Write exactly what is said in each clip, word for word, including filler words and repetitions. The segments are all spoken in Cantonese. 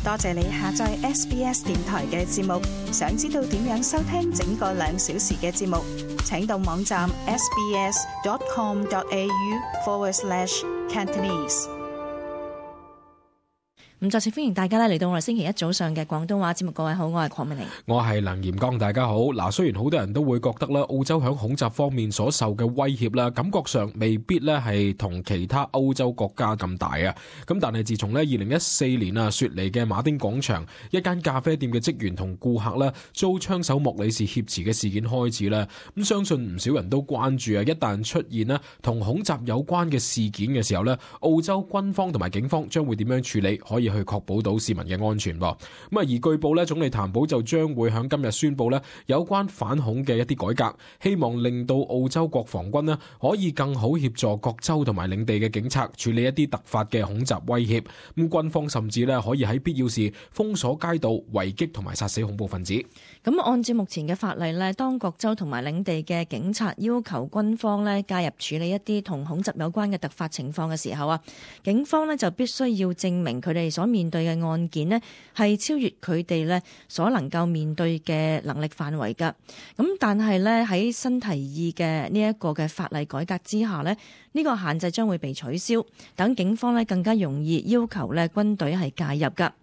多謝你下載 S B S 電台嘅節目。想知道點樣收聽整個兩小時嘅節目，請到網站 sbs.com.au forward slash Cantonese。咁再次歡迎大家咧嚟到我哋星期一早上嘅廣東話節目。各位好，我係鄺美玲，我係梁炎剛，大家好。嗱，雖然好多人都會覺得咧，澳洲響恐襲方面所受嘅威脅啦，感覺上未必咧係同其他歐洲國家咁大啊。咁但係自從咧二零一四年啊，雪梨嘅馬丁廣場一間咖啡店嘅職員同顧客咧遭槍手莫里士挾持嘅事件開始咧，咁相信唔少人都關注啊。一旦出現咧同恐襲有關嘅事件嘅時候咧，澳洲軍方同埋警方將會點樣處理，可以去確保到市民嘅安全噃。咁啊，而據報咧，總理譚寶就將會喺今日宣布咧有關反恐嘅一啲改革，希望令到澳洲國防軍咧可以更好協助各州同埋領地嘅警察處理一啲突發嘅恐襲威脅。咁軍方甚至咧可以喺必要時封鎖街道、圍擊同埋殺死恐怖分子。咁按照目前嘅法例咧，當各州同埋領地嘅警察要求軍方咧介入處理一啲同恐襲有關嘅突發情況嘅時候啊，警方咧就必須要證明佢哋所面對嘅案件呢係超越佢哋咧所能夠面對嘅能力範圍噶。咁但係咧喺新提議嘅呢一個嘅法例改革之下呢，呢個限制將會被取消，等警方咧更加容易要求咧軍隊係介入噶。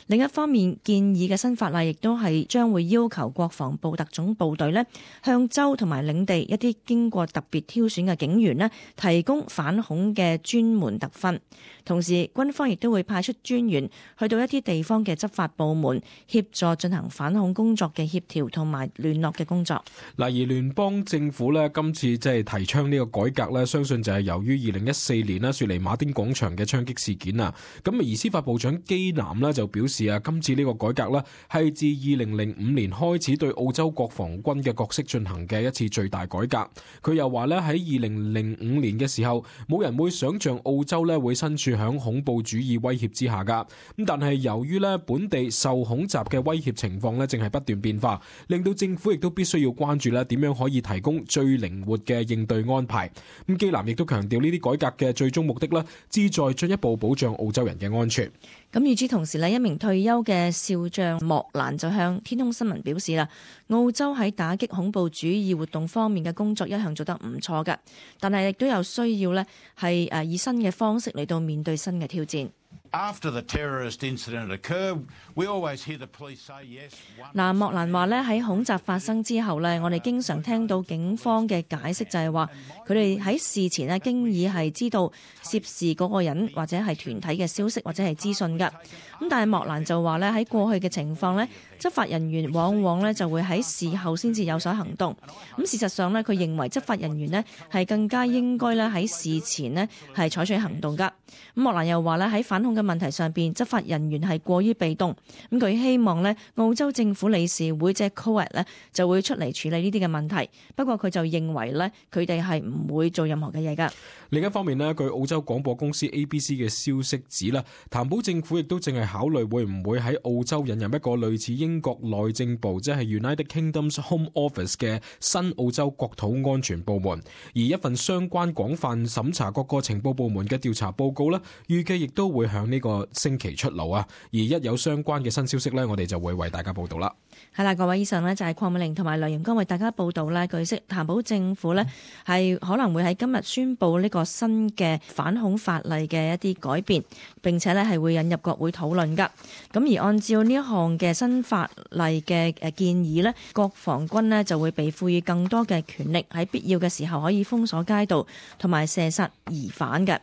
另一方面，建議嘅新法例亦都係將會要求國防部特種部隊咧向州同埋領地一啲經過特別挑選嘅警員咧提供反恐嘅專門特訓。同時，軍方亦都會派出專員去到一啲地方嘅執法部門協助進行反恐工作嘅協調同埋聯絡嘅工作。嗱，而聯邦政府咧今次即係提倡呢個改革咧，相信就係由於二零一四年啦雪梨馬丁廣場嘅槍擊事件啊。咁而司法部長基南咧就表示啊，今次呢個改革咧係自二零零五年開始對澳洲國防軍嘅角色進行嘅一次最大改革。佢又話咧喺二零零五年嘅時候，冇人會想像澳洲咧會身處響恐怖主義威脅之下噶。咁但係由於咧本地受恐襲嘅威脅情況咧正係不斷變化，令到政府亦都必須要關注咧點樣可以提供最靈活嘅應對安排。咁基南亦都強調呢啲改革嘅最終目的咧，旨在進一步保障澳洲人嘅安全。咁與此同時呢，一名退休嘅少將莫蘭就向天空新聞表示啦，澳洲喺打擊恐怖主義活動方面嘅工作一向做得唔錯㗎，但係亦都有需要呢係誒以新嘅方式嚟到面對新嘅挑戰。After the terrorist incident occurred, we always hear the police say yes. 嗱，莫蘭話咧喺恐襲發生之後咧，我哋經常聽到警方嘅解釋就係話，佢哋喺事前咧經已係知道涉事嗰個人或者係團體嘅消息或者係資訊㗎。咁但係莫蘭就話咧喺過去嘅情況咧，執法人員往往咧就會喺事後先至有所行動。咁事實上咧，佢認為執法人員咧係更加應該咧喺事前咧係採取行動㗎。咁莫蘭又話咧喺反恐嘅問題上邊，執法人員係過於被動。咁佢希望咧澳洲政府理事會即係 C O A T 咧就會出嚟處理呢啲嘅問題。不過佢就認為咧佢哋係唔會做任何嘅嘢㗎。另一方面咧，據澳洲廣播公司 A B C 嘅消息指啦，譚寶政府亦都正係考慮會唔會喺澳洲引入一個類似英國內政部即係 United Kingdom's Home Office 嘅新澳洲國土安全部門。而一份相關廣泛審查各個情報部門嘅調查報告咧，預計亦都會響呢個星期出爐啊！而一有相關嘅新消息咧，我哋就會為大家報道啦。係啦，各位，以上呢就係鄺美玲同埋梁炎剛為大家報道咧。據悉，譚寶政府呢係可能會喺今日宣布呢個新嘅反恐法例嘅一啲改變，並且呢係會引入國會討論噶。咁而按照呢一項嘅新法例嘅誒建議呢，國防軍呢就會被賦予更多嘅權力，喺必要嘅時候可以封鎖街道同埋射殺疑犯嘅。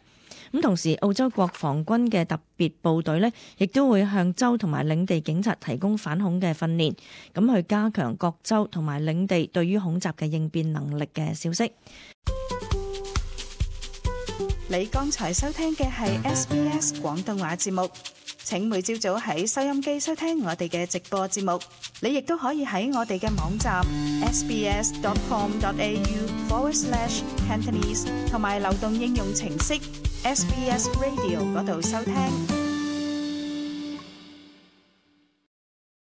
咁同時，澳洲國防軍嘅特別部隊呢，亦都會向州同埋領地警察提供反恐嘅訓練，咁去加強各州同埋領地對於恐襲嘅應變能力嘅消息。你剛才收聽嘅係 S B S 廣東話節目。請每朝早喺收音機收聽我哋嘅直播節目。你亦都可以喺我哋嘅網站 sbs.com.au forward slash Cantonese 同埋流動應用程式 S B S Radio 嗰度收聽。